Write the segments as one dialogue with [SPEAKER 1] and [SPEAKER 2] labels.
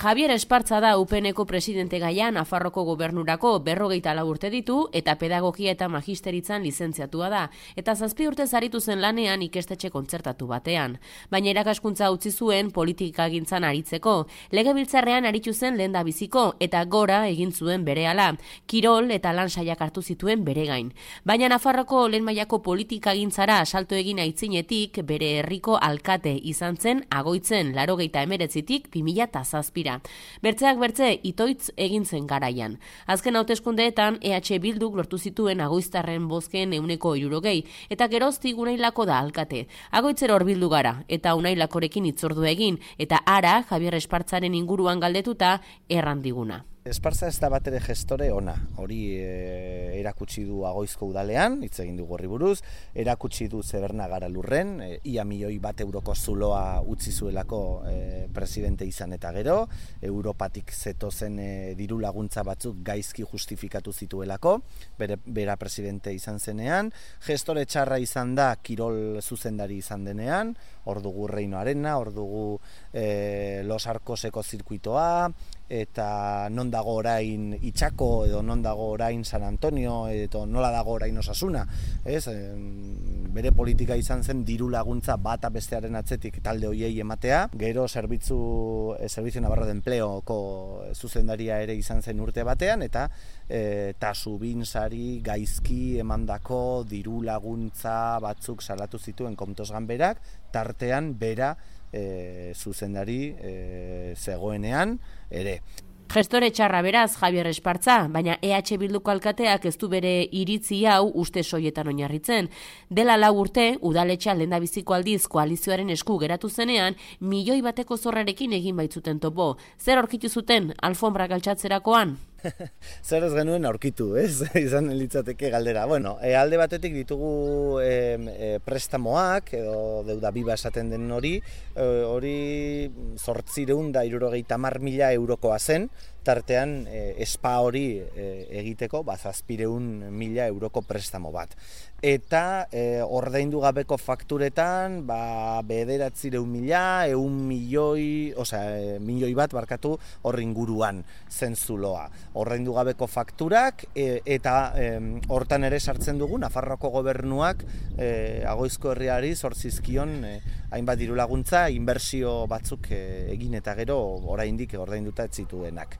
[SPEAKER 1] Javier Espartza da UPNeko presidente gaia Nafarroko gobernurako 54 urte ditu eta pedagogia eta magisteritzan lizentziatua da, eta 7 urtez aritu zen lanean ikastetxe kontzertatu batean. Baina irakaskuntza utzi zuen politikagintzan aritzeko, legebiltzarrean aritu zen lehendabiziko eta gora egin zuen berehala, kirol eta lan saiak hartu zituen bere gain. Baina Nafarroko lehen mailako politikagintzara salto egin aitzinetik bere herriko alkate izan zen Agoitzen 89tik 2007. Bertzeak bertze itoitz egin zen garaian. Azken hauteskundeetan EH Bilduk lortu zituen agoiztarren bozken 60%, eta geroztik Unailako da alkate. Agoitzero hurbildu gara, eta Unailakorekin hitzordu egin, eta ara Javier Espartzaren inguruan galdetuta errandiguna.
[SPEAKER 2] Espartza ez da batere gestore ona, hori erakutsi du Agoizko udalean, hitz egin dugu horri buruz, erakutsi du Zebernagara lurren, ia €1.000.000 zuloa utzi zuelako presidente izan eta gero, Europatik zetozen diru laguntza batzuk gaizki justifikatu zituelako, bera presidente izan zenean, gestore txarra izan da kirol zuzendari izan denean, hor dugu Reino Arena, hor dugu Los Arcoseko zirkuitoa, eta non dago orain Itxako edo non dago orain San Antonio edo nola dago orain Osasuna, ez? Bere politika izan zen diru laguntza bata bestearen atzetik talde hoiei ematea, gero Servizio Navarro de Empleoko zuzendaria ere izan zen urte batean, eta Tasubin-sari gaizki emandako diru laguntza batzuk salatu zituen Kontosgan berak, tartean bera zuzendari zegoenean ere.
[SPEAKER 1] Gestore txarra beraz Javier Espartza, baina EH Bilduko alkateak ez du bere iritzi hau uste soietan oinarritzen. Dela 4 urte, udaletxea lehendabiziko aldiz koalizioaren esku geratu zenean, €1.000.000 zorrarekin egin baitzuten topo. Zer aurkitu zuten alfombra galtzatzerakoan?
[SPEAKER 2] Zer ez genuen aurkitu, ez? Izan litzateke galdera. Bueno, alde batetik ditugu prestamoak, edo deuda biba esaten den hori 860.000 eurokoa zen, tartean espa hori egiteko 700.000 euroko prestamo bat. Eta ordaindu gabeko fakturetan 900.000, 1.000.000 hor inguruan zen zuloa. Ordaindu gabeko fakturak eta hortan ere sartzen dugu Nafarroako gobernuak Agoizko herriari zortzizkion hainbat diru laguntza, inbertsio batzuk egin eta gero oraindik ordainduta ez zituenak.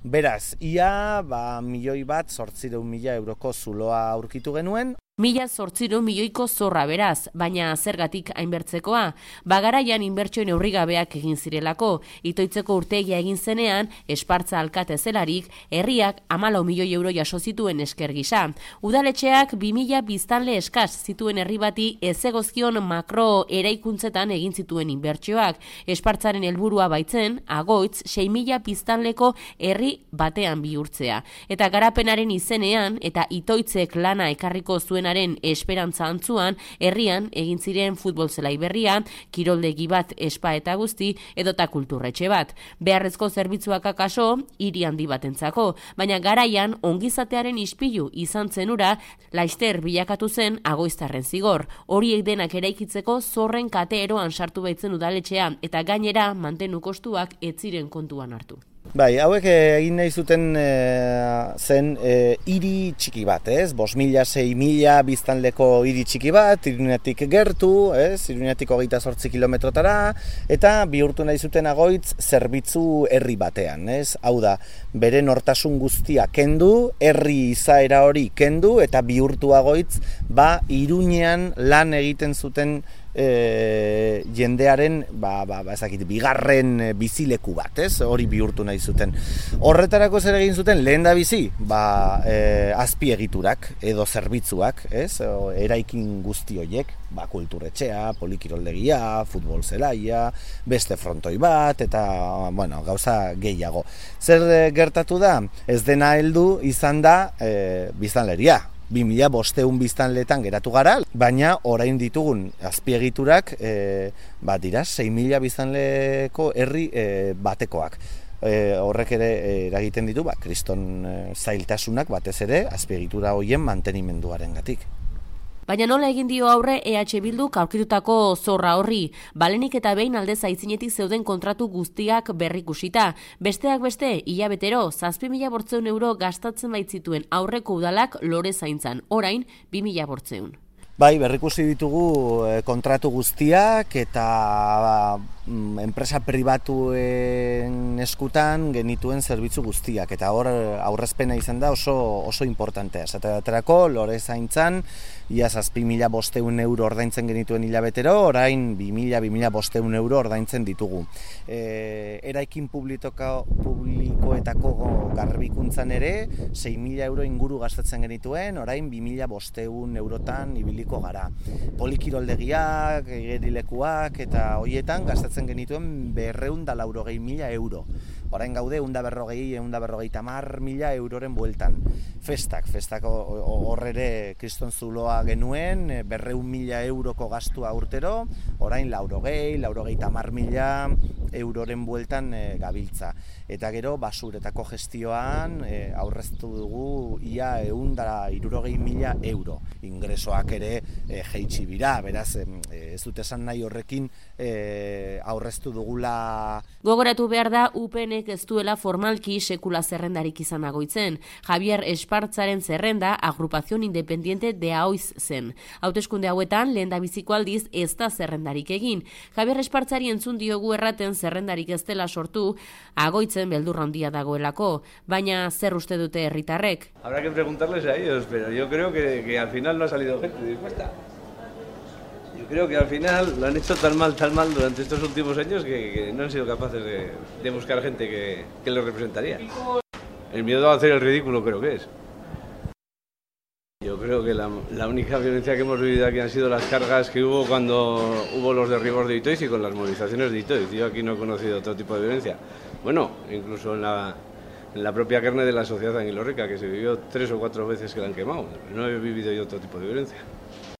[SPEAKER 2] Beraz, ia €1.800.000 euroko zuloa aurkitu genuen.
[SPEAKER 1] 1.800.000.000ko zorra beraz, baina zergatik hainbertzekoa. Garaian inbertsio neurrigabeak egin zirelako, itoitzeko urtegia egin zenean, Espartza alkate zelarik, herriak 14 milioi euro jaso zituen esker gisa. Udaletxeak 2.000 biztanle eskas zituen herri bati ezegozkion makro eraikuntzetan egin zituen inbertsioak. Espartzaren helburua baitzen, Agoitz 6.000 biztanleko herri batean bihurtzea. Eta garapenaren izenean, eta itoitzek lana ekarriko zuen esperantza antzuan, herrian egin ziren futbol zelai berria, kiroldegi bat espa eta guzti, edota kulturretxe bat. Beharrezko zerbitzuak akaso, hiri handi batentzako, baina garaian ongizatearen ispilu izan zenura, laster bilakatu zen Agoiztarren zigor. Horiek denak eraikitzeko zorren kate eroan sartu baitzen udaletxea, eta gainera mantenu kostuak ez ziren kontuan hartu.
[SPEAKER 2] Bai, hauek egin nahi zuten zen hiri txiki bat, ez? 5.000, 6.000 biztanleko hiri txiki bat, Iruñatik gertu, ez? Iruñatik 28 kilometrotara, eta bihurtu nahi zuten Agoitz zerbitzu herri batean, ez? Hau da, bere nortasun guztia kendu, herri izaera hori kendu, eta bihurtu Agoitz, Iruñean lan egiten zuten jendearen bigarren bizileku bat, ez? Hori bihurtu nahi zuten. Horretarako zer egin zuten lehendabizi, azpiegiturak edo zerbitzuak, ez? Eraikin guzti horiek, kulturetxea, polikiroldegia, futbol zelaia, beste frontoi bat, eta, gauza gehiago. Zer gertatu da? Ez dena heldu izan da biztanleria. 2.500 biztanletan geratu gara, baina orain ditugun azpiegiturak dira 6.000 biztanleko herri batekoak. Horrek ere eragiten ditu, kriston zailtasunak batez ere azpiegitura horien mantenimenduarengatik.
[SPEAKER 1] Baina nola egin dio aurre EH Bilduk aurkitutako zorra horri, balenik eta behin aldez aitzinetik zeuden kontratu guztiak berrikusita. Besteak beste, hilabetero, 7.800 euro gastatzen baitzituen aurreko udalak lore zaintzan, orain 2.800.
[SPEAKER 2] Bai, berrikusi ditugu kontratu guztiak eta enpresa pribatuen eskutan genituen zerbitzu guztiak. Eta hor aurrezpena izan da oso importantea. Esaterako, lore zaintzan, ia 7.500 euro ordaintzen genituen hilabetero, orain 2.500 euro ordaintzen ditugu. Eraikin publikoetako garbikuntzan ere, 6.000 euro inguru gastatzen genituen, orain 2.500 eurotan ibiliko gara. Polikiroldegiak, gerilekuak eta hoietan gastatzen genituen 280.000 euro. Orain gaude 150.000 euroren bueltan. Festak horrere kriston zuloa genuen, 200.000 euroko gastua urtero, orain 150.000 euroren bueltan gabiltza. Eta gero basuretako gestioan aurreztu dugu ia 160.000 euro. Ingresoak ere jeitsi bira, beraz ez dut esan nahi horrekin aurreztu dugula.
[SPEAKER 1] Gogoratu behar da UPNek ez duela formalki sekula zerrendarik izan agoitzen. Javier Espartzaren zerrenda Agrupación Independiente de Aoiz zen. Hauteskunde hauetan lehendabiziko aldiz ez da zerrendarik egin. Javier Espartzari entzun diogu erraten zerrendarik ez dela sortu, agoitzen beldurra handia dagoelako, baina zer uste dute herritarrek?
[SPEAKER 3] Habrá que preguntarles a ellos, pero yo creo que al final no ha salido gente dispuesta. Yo creo que al final lo han hecho tan mal durante estos últimos años que no han sido capaces de buscar gente que los representaría. El miedo a hacer el ridículo creo que es. Yo creo que la única violencia que hemos vivido aquí han sido las cargas que hubo cuando hubo los derribos de Itoiz y con las movilizaciones de Itoiz. Yo aquí no he conocido otro tipo de violencia. Bueno, incluso en la propia carne de la sociedad anguilorrica, que se vivió 3 o 4 veces que la han quemado. No he vivido yo otro tipo de violencia.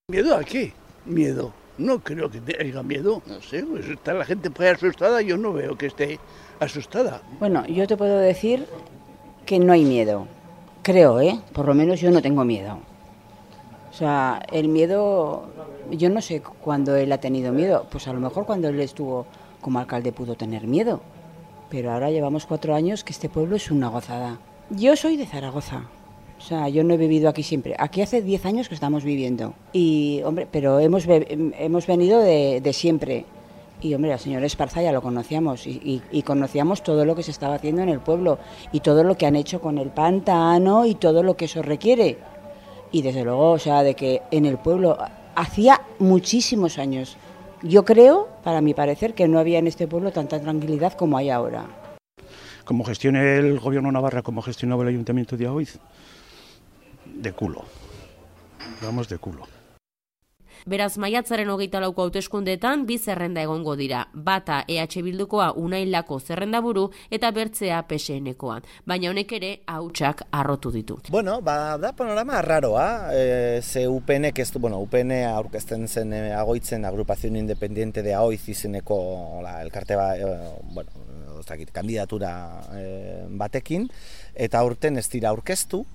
[SPEAKER 4] ¿Miedo a qué? Miedo. No creo que haya miedo. No sé, pues está la gente por ahí asustada, yo no veo que esté asustada.
[SPEAKER 5] Bueno, yo te puedo decir que no hay miedo. Creo, por lo menos yo no tengo miedo. O sea, el miedo, yo no sé cuándo él ha tenido miedo. Pues a lo mejor cuando él estuvo como alcalde pudo tener miedo. Pero ahora llevamos 4 años que este pueblo es una gozada. Yo soy de Zaragoza. O sea, yo no he vivido aquí siempre. Aquí hace 10 años que estamos viviendo. Y, hombre, pero hemos venido de siempre. Y, hombre, al señor Esparza ya lo conocíamos. Y conocíamos todo lo que se estaba haciendo en el pueblo. Y todo lo que han hecho con el pantano y todo lo que eso requiere. Y, desde luego, o sea, de que en el pueblo hacía muchísimos años. Yo creo, para mi parecer, que no había en este pueblo tanta tranquilidad como hay ahora.
[SPEAKER 6] Como gestione el gobierno Navarra, como gestionaba el ayuntamiento de Aoiz, de culo. Vamos de culo.
[SPEAKER 1] Beraz, maiatzaren 24ko hauteskundeetan 2 zerrenda egongo dira. Bata EH Bildukoa Unailako zerrendaburu eta bertzea PSNkoa. Baina honek ere hautsak harrotu ditu.
[SPEAKER 2] Bueno, da panorama raroa. Ze UPNek ez du, UPN aurkezten zen agoitzen Agrupación Independiente de Aoiz izeneko elkarte kandidatura batekin, eta aurten ez dira aurkeztu.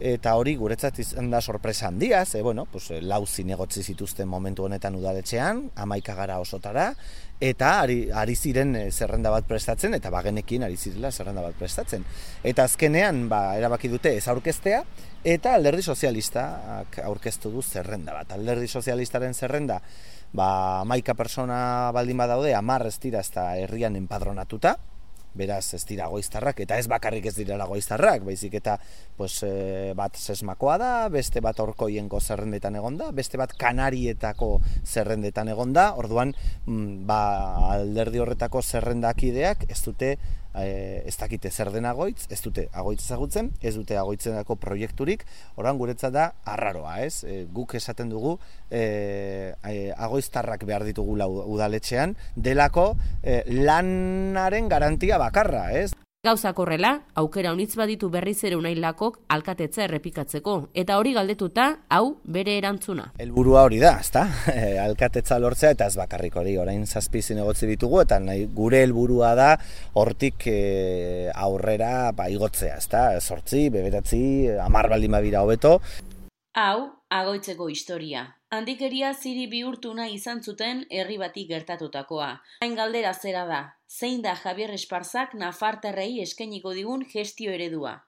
[SPEAKER 2] Eta hori guretzat izan da sorpresa handia, lau zinegotzi zituzten momentu honetan udaletxean, 11 gara osotara, eta ari ziren zerrenda bat prestatzen, eta bagenekin ari zirela zerrenda bat prestatzen. Eta azkenean erabaki dute ez aurkeztea, eta Alderdi Sozialistak aurkeztu du zerrenda bat. Alderdi Sozialistaren zerrenda, 11 persona baldin badaude, 10 ez dira ezta herrian enpadronatuta, beraz ez dira goiztarrak, eta ez bakarrik ez direla goiztarrak, baizik eta bat sesmakoa da, beste bat orkoienko zerrendetan egonda, beste bat Kanarietako zerrendetan egonda, orduan alderdi horretako zerrendakideak ez dute ez dakite zer den agoitz, ez dute agoitz ezagutzen, ez dute agoitzenako proiekturik, orduan guretzat da arraroa, ez? Guk esaten dugu agoiztarrak behar ditugula udaletxean, delako lanaren garantia bakarra, ez?
[SPEAKER 1] Gauzak horrela, aukera honitz baditu berriz ere Unailakok alkatetza errepikatzeko, eta hori galdetuta, hau bere erantzuna.
[SPEAKER 2] Helburua hori da, ezta? Alkatetza lortzea eta ez bakarrik hori, orain 7 zinegotzi ditugu, eta gure helburua da hortik aurrera igotzea, ezta? 8, 9, 10 baldin badira hobeto.
[SPEAKER 7] Hau, Agoitzeko historia. Handikeria ziri bihurtu nahi izan zuten herri bati gertatutakoa. Hain galdera zera da, zein da Javier Esparzak nafartarrei eskainiko digun gestio eredua?